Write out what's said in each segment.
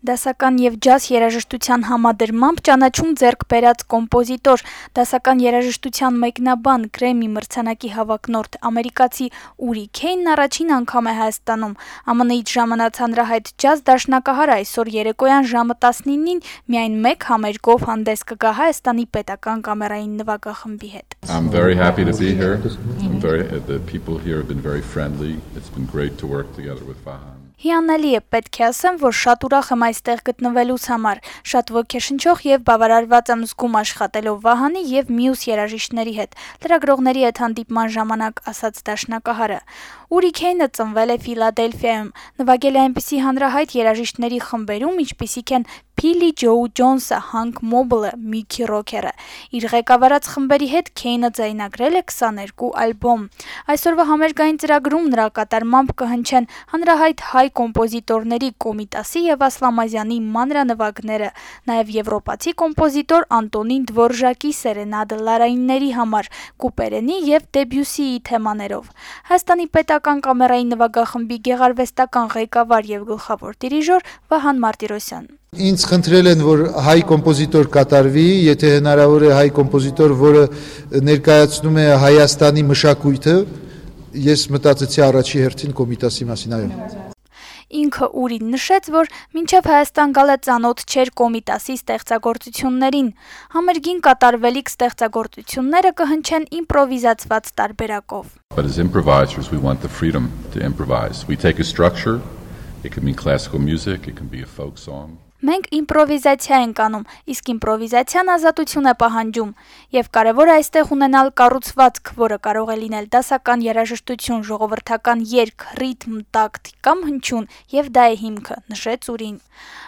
Դասական եւ ջազ երաժշտության համադրմամբ ճանաչում ձեռք բերած կոմպոզիտոր, դասական երաժշտության մեկնաբան, Գրեմի մրցանակի հավակնորդ ամերիկացի Ուրի Քեյնն առաջին անգամ է Հայաստանում։ ԱՄՆ-ից ժամանած հանրահայտ ջազ դաշնակահարը այսօր երեկոյան ժամը 19-ին միայն մեկ համերգով հանդես կգա Հայաստանի պետական կամերային նվագախմբի հետ։ I'm very happy to be here. The people here have been very friendly. It's been great to work together with Vahan. Հիանալի է, պետք է ասեմ, որ շատ ուրախ եմ այստեղ գտնվելուց համար, շատ ոգեշնչող եւ բավարարված եմ զգում աշխատելով Վահանի եւ մյուս երաժիշտների հետ, լրագրողների հետ հանդիպման ժամանակ ասաց դաշնակահարը։ Ուրի Քեյնը ծնվել է Ֆիլադելֆիայում, նվագել է այնպիսի հանրահայտ երաժիշտների խմբերում, ինչպիսիք են Փիլի Ջո Ջոնսը, Հանկ Մոբլը, Միքի Ռոքերը։ Իր ղեկավարած խմբերի հետ Քեյնը ձայնագրել է 22 ալբոմ։ Այսօրվա համերգային ծրագրում նրա կատարմամբ կհնչեն հանրահայտ հայ կոմպոզիտորների Կոմիտասի եւ Ասլամազյանի մանրանվագները, նաեւ եվրոպացի կոմպոզիտոր Անտոնին Դվորժակի սերենադը լարայինների համար, Կուպերենի եւ Դեբյուսիի թեմաներով։ Հայաստանի պետական կամերային նվագախմբի գեղարվեստական ղեկավար եւ գլխավոր դիրիժոր Վահան Մարտիրոսյան։ Ինձ խնդրել են, որ հայ կոմպոզիտոր կատարվի, եթե հնարավոր է հայ կոմպոզիտոր, որը ներկայացնում է Հայաստանի մշակույթը, ես մտածեցի առաջի հերթին Կոմիտասի մասին, այո։ Ինքը Ուրին նշեց, որ մինչև Հայաստան գալը ծանոթ չէր Կոմիտասի ստեղծագործություններին։ Համերգին կատարվելիք ստեղծագործությունները կհնչեն իմպրովիզացված տարբերակով։ But as improvisers, we want the freedom to improvise. We take a structure. It can be classical music, it can be a folk song. Մենք իմպրովիզացիա ենք անում, իսկ իմպրովիզացիան ազատություն է պահանջում, եւ կարեւոր է այստեղ ունենալ կառուցվածք, որը կարող է լինել դասական երաժշտություն, ժողովրդական երգ, ռիթմ, տակտ կամ հնչյուն, եւ դա է հիմքը, նշեց Ուրին։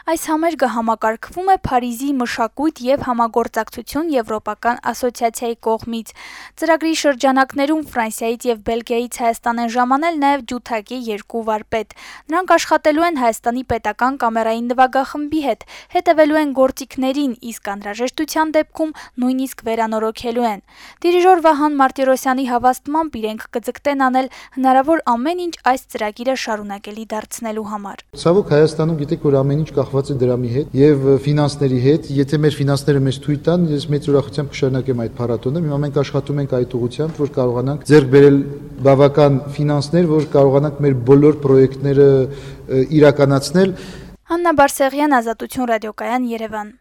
Այս համերգը համակարգվում է Փարիզի մշակույթ եւ համագործակցություն Եվրոպական ասոցիացիայի կողմից։ Ծրագրի շրջանակներում Ֆրանսիայից եւ Բելգիայից Հայաստան են ժամանել նաեւ ջութակի երկու վարպետ։ Նրանք աշխատելու են Հայաստանի պետական կամերային նվագախմբի հետ, հետևելու են գործիքներին, իսկ անհրաժեշտության դեպքում նույնիսկ վերանորոգելու են։ Դիրիժոր Վահան Մարտիրոսյանի հավաստմամբ իրենք կձգտեն անել հնարավոր ամեն ինչ այս ծրագիրը շարունակելի դարձնելու համար։ Ցավոք Հայաստանում գիտեք, որ ամեն ինչ կախված է դրամի հետ եւ ֆինանսների հետ։ Եթե մեր ֆինանսները մեզ թույլ տան, ես մեծ ուրախությամբ կշարունակեմ այդ փառատոնը։ Հիմա մենք աշխատում ենք այդ ուղղությամբ, որ կարողանանք ձեռք բերել բավական ֆինանսներ, որ կարողանանք մեր բոլոր պրոյեկտները իրականացնել։ Աննա Բարսեղյան, Ազատություն ռադիոկայան, Երևան։